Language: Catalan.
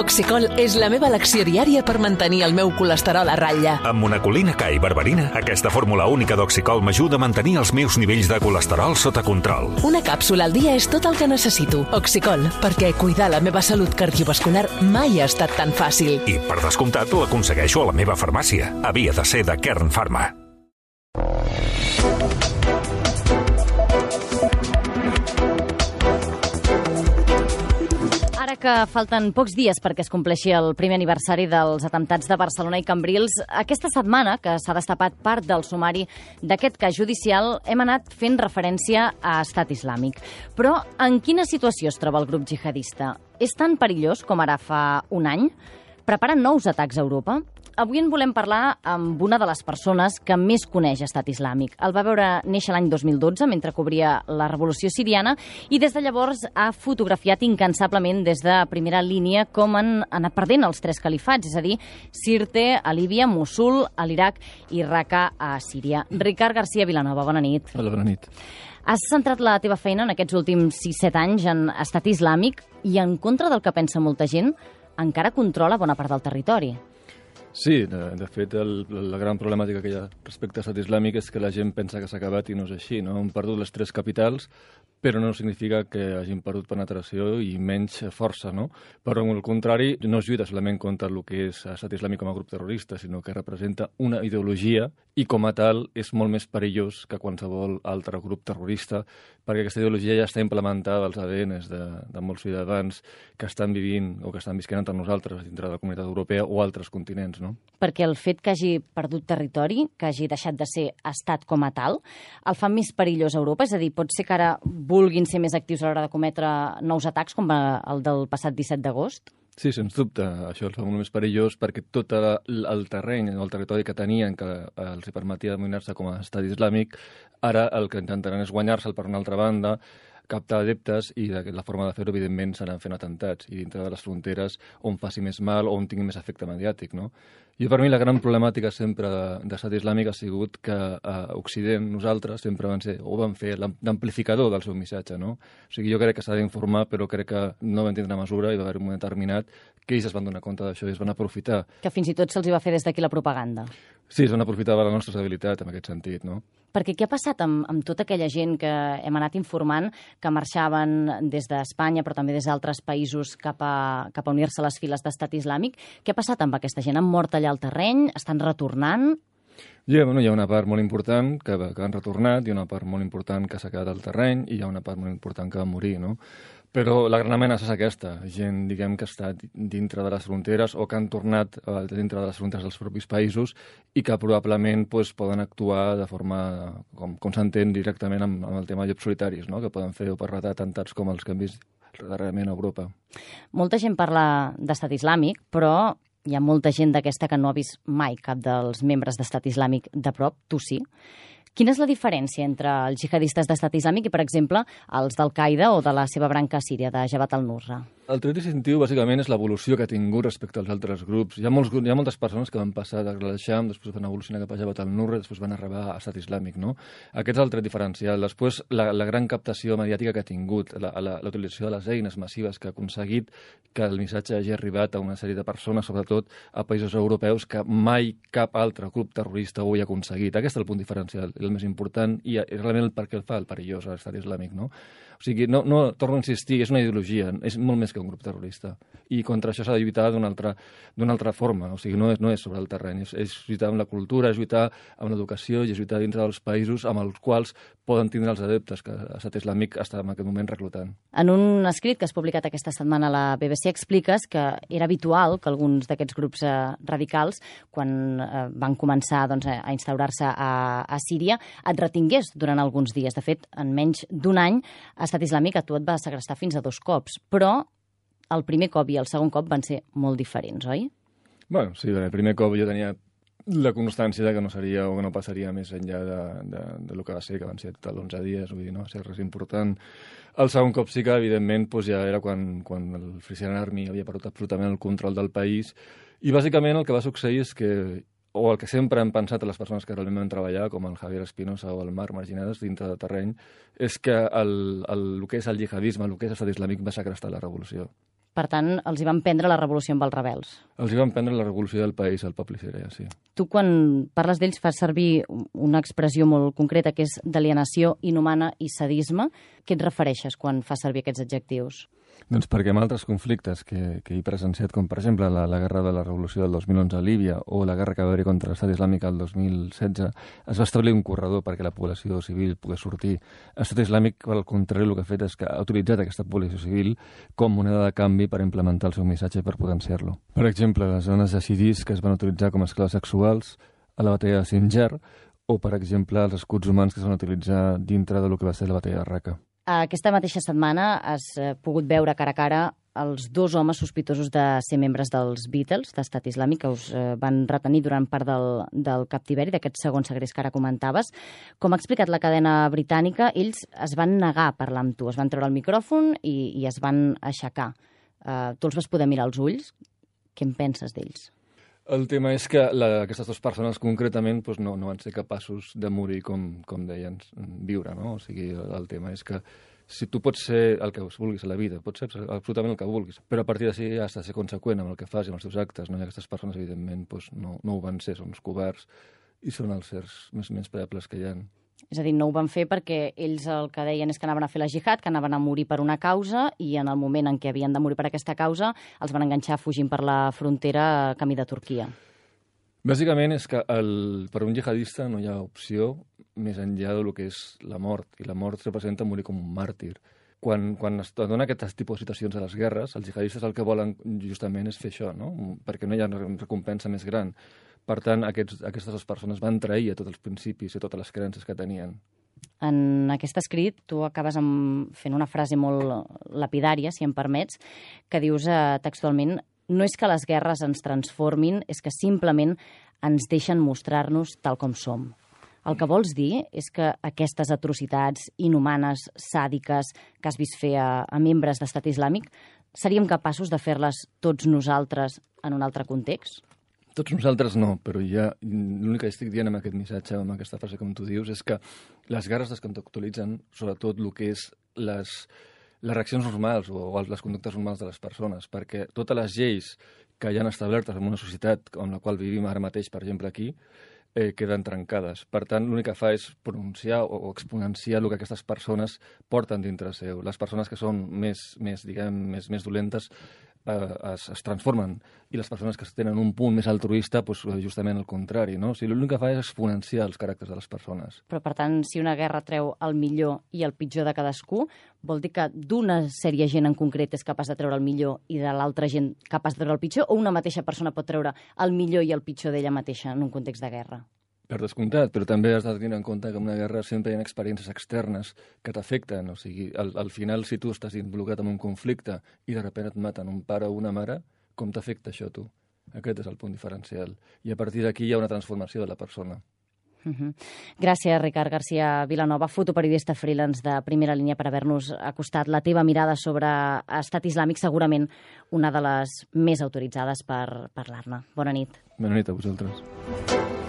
Oxicol és la meva elecció diària per mantenir el meu colesterol a ratlla. Amb monacolina K i berberina, aquesta fórmula única d'Oxicol m'ajuda a mantenir els meus nivells de colesterol sota control. Una càpsula al dia és tot el que necessito. Oxicol, perquè cuidar la meva salut cardiovascular mai ha estat tan fàcil. I, per descomptat, l'aconsegueixo a la meva farmàcia. Havia de ser de Kern Pharma. Ara que falten pocs dies perquè es compleixi el primer aniversari dels atemptats de Barcelona i Cambrils, aquesta setmana, que s'ha destapat part del sumari d'aquest cas judicial, hem anat fent referència a Estat Islàmic. Però en quina situació es troba el grup jihadista? És tan perillós com ara fa un any? Preparen nous atacs a Europa? Avui en volem parlar amb una de les persones que més coneix Estat Islàmic. El va veure néixer l'any 2012, mentre cobria la revolució siriana, i des de llavors ha fotografiat incansablement des de primera línia com han anat perdent els tres califats, és a dir, Sirte, a Líbia, Mossul, a l'Iraq i Raqqa, a Síria. Ricard García Vilanova, bona nit. Hola, bona nit. Has centrat la teva feina en aquests últims 6-7 anys en Estat Islàmic i, en contra del que pensa molta gent, encara controla bona part del territori. Sí, de fet, la gran problemàtica que hi ha respecte a Estat Islàmic és que la gent pensa que s'ha acabat i no és així, no? Han perdut les tres capitals, però no significa que hagin perdut penetració i menys força, no? Però, al contrari, no es lluita solament contra el que és Estat Islàmic com a grup terrorista, sinó que representa una ideologia i, com a tal, és molt més perillós que qualsevol altre grup terrorista, perquè aquesta ideologia ja està implementada als ADNs de molts ciutadans que estan vivint o que estan visquent entre nosaltres dintre de la comunitat europea o altres continents, no? Perquè el fet que hagi perdut territori, que hagi deixat de ser estat com a tal, el fa més perillós a Europa? És a dir, pot ser que ara vulguin ser més actius a l'hora de cometre nous atacs, com el del passat 17 d'agost? Sí, sens dubte. Això el fa molt més perillós perquè tot el terreny o el territori que tenien que els permetia denominar-se com a estat islàmic, ara el que intentaran és guanyar-se'l per una altra banda, captar adeptes i la forma de fer-ho, evidentment, seran fent atemptats i dintre de les fronteres on faci més mal o on tingui més efecte mediàtic, no? Jo, per mi, la gran problemàtica sempre d'Estat Islàmic ha sigut que a Occident, nosaltres, sempre van fer l'amplificador del seu missatge, no? O sigui, jo crec que s'ha d'informar, però crec que no van tindre mesura i va haver un moment determinat que ells es van donar compte d'això i es van aprofitar. Que fins i tot se'ls va fer des d'aquí la propaganda. Sí, es van aprofitar de la nostra estabilitat, en aquest sentit, no? Perquè què ha passat amb tota aquella gent que hem anat informant, que marxaven des d'Espanya, però també des d'altres països cap a unir-se a les files d'Estat Islàmic? Què ha passat amb aquesta gent? Han mort allà al terreny? Estan retornant? Hi ha una part molt important que han retornat, hi ha una part molt important que s'ha quedat al terreny i hi ha una part molt important que va morir, no? Però la gran amenaça és aquesta, gent, diguem, que està dintre de les fronteres o que han tornat dintre de les fronteres dels propis països i que probablement poden actuar de forma, com s'entén, directament amb el tema de llops solitaris, no? Que poden fer o perretrar atemptats com els que hem vist darrerament a Europa. Molta gent parla d'Estat Islàmic, però hi ha molta gent d'aquesta que no ha vist mai cap dels membres d'Estat Islàmic de prop, tu sí. Quina és la diferència entre els jihadistes d'Estat Islàmic i, per exemple, els d'Al-Qaeda o de la seva branca síria, de Jabhat al-Nusra? El tret distintiu, bàsicament, és l'evolució que ha tingut respecte als altres grups. Hi ha moltes persones que van passar d'Al-Sham, després van evolucionar cap a Jabhat al-Nusra, després van arribar a Estat Islàmic, no? Aquest és el tret diferencial. Després, la gran captació mediàtica que ha tingut, la utilització de les eines massives que ha aconseguit que el missatge hagi arribat a una sèrie de persones, sobretot a països europeus, que mai cap altre grup terrorista ho ha aconseguit. Aquest és el punt diferencial, el més important, i realment el per què el fa el perillós a l'Estat Islàmic, no? O sigui, no torno a insistir, és una ideologia, és molt més que un grup terrorista. I contra això s'ha de lluitar d'una altra forma. O sigui, no és sobre el terreny, és lluitar amb la cultura, és lluitar amb l'educació i és lluitar dintre dels països amb els quals poden tindre els adeptes que l'Estat Islàmic està en aquest moment reclutant. En un escrit que has publicat aquesta setmana a la BBC expliques que era habitual que alguns d'aquests grups radicals, quan van començar a instaurar-se a Síria, et retingués durant alguns dies. De fet, en menys d'un any, Estat Islàmic a tu et va segrestar fins a 2 cops, però el primer cop i el segon cop van ser molt diferents, oi? Bueno, sí, el primer cop jo tenia la constància de que no seria o que no passaria més enllà del que va ser, que van ser tot 11 dies, vull dir, no va ser res important. El segon cop sí que, evidentment, ja era quan el Frisian Army havia perdut absolutament el control del país i, bàsicament, el que va succeir és que o el que sempre han pensat les persones que realment van treballar, com el Javier Espinosa o el Marc Marginades, dintre del terreny, és que el que és el jihadisme, el que és l'estat islàmic, va segrestar la revolució. Per tant, els hi van prendre la revolució amb els rebels. Els hi van prendre la revolució del país, el poble sirià, sí. Tu, quan parles d'ells, fas servir una expressió molt concreta, que és d'alienació inhumana i sadisme. Què et refereixes quan fas servir aquests adjectius? Doncs perquè en altres conflictes que he presenciat, com per exemple la guerra de la revolució del 2011 a Líbia o la guerra que va haver contra l'Estat Islàmic el 2016, es va establir un corredor perquè la població civil pogués sortir. L'Estat Islàmic, al contrari, el que ha fet és que ha utilitzat aquesta població civil com moneda de canvi per implementar el seu missatge i per potenciar-lo. Per exemple, les zones de xiís que es van utilitzar com a esclaves sexuals a la batalla de Sinjar o, per exemple, els escuts humans que es van utilitzar dintre del que va ser la batalla de Raqqa. Aquesta mateixa setmana has pogut veure cara a cara els dos homes sospitosos de ser membres dels Beatles, d'Estat Islàmic, que us van retenir durant part del captiveri, d'aquest segon segrest que ara comentaves. Com ha explicat la cadena britànica, ells es van negar a parlar amb tu, es van treure el micròfon i es van aixecar. Tu els vas poder mirar als ulls? Què en penses d'ells? El tema és que aquestes dues persones concretament doncs no van ser capaços de morir com deien, viure, no? O sigui, el tema és que si tu pots ser el que vulguis a la vida, pots ser absolutament el que vulguis, però a partir d'ací has de ser conseqüent amb el que fas i amb els teus actes, no? I aquestes persones, evidentment, doncs no ho van ser, són uns covards i són els sers més menyspreables que hi ha. És a dir, no ho van fer perquè ells el que deien és que anaven a fer la jihad, que anaven a morir per una causa, i en el moment en què havien de morir per aquesta causa els van enganxar fugint per la frontera camí de Turquia. Bàsicament és que per un jihadista no hi ha opció més enllà del que és la mort, i la mort representa morir com un màrtir. Quan es dona aquest tipus de situacions a les guerres, els jihadistes el que volen justament és fer això, no? Perquè no hi ha recompensa més gran. Per tant, aquestes dues persones van trair a tots els principis i totes les creences que tenien. En aquest escrit tu acabes fent una frase molt lapidària, si em permets, que dius textualment: no és que les guerres ens transformin, és que simplement ens deixen mostrar-nos tal com som. El que vols dir és que aquestes atrocitats inhumanes, sàdiques, que has vist fer a membres d'Estat Islàmic, seríem capaços de fer-les tots nosaltres en un altre context? Tots nosaltres no, però l'únic que estic dient amb aquest missatge, amb aquesta frase com tu dius, és que les guerres descontextualitzen sobretot el que és les reaccions normals o les conductes normals de les persones, perquè totes les lleis que hi han establertes en una societat en la qual vivim ara mateix, per exemple aquí, queden trencades. Per tant, l'únic que fa és pronunciar o exponenciar el que aquestes persones porten dintre seu. Les persones que són més dolentes es transformen, i les persones que tenen un punt més altruista, doncs justament el contrari, no? O sigui, l'únic que fa és exponenciar els caràcters de les persones. Però, per tant, si una guerra treu el millor i el pitjor de cadascú, vol dir que d'una sèrie de gent en concret és capaç de treure el millor i de l'altra gent capaç de treure el pitjor, o una mateixa persona pot treure el millor i el pitjor d'ella mateixa en un context de guerra? Per descomptat, però també has de tenir en compte que en una guerra sempre hi ha experiències externes que t'afecten. O sigui, al final, si tu estàs involucrat en un conflicte i de sobte et maten un pare o una mare, com t'afecta això a tu? Aquest és el punt diferencial. I a partir d'aquí hi ha una transformació de la persona. Gràcies, Ricard García Vilanova, fotoperiodista freelance de Primera Línia, per haver-nos acostat la teva mirada sobre Estat Islàmic, segurament una de les més autoritzades per parlar-ne. Bona nit. Bona nit a vosaltres.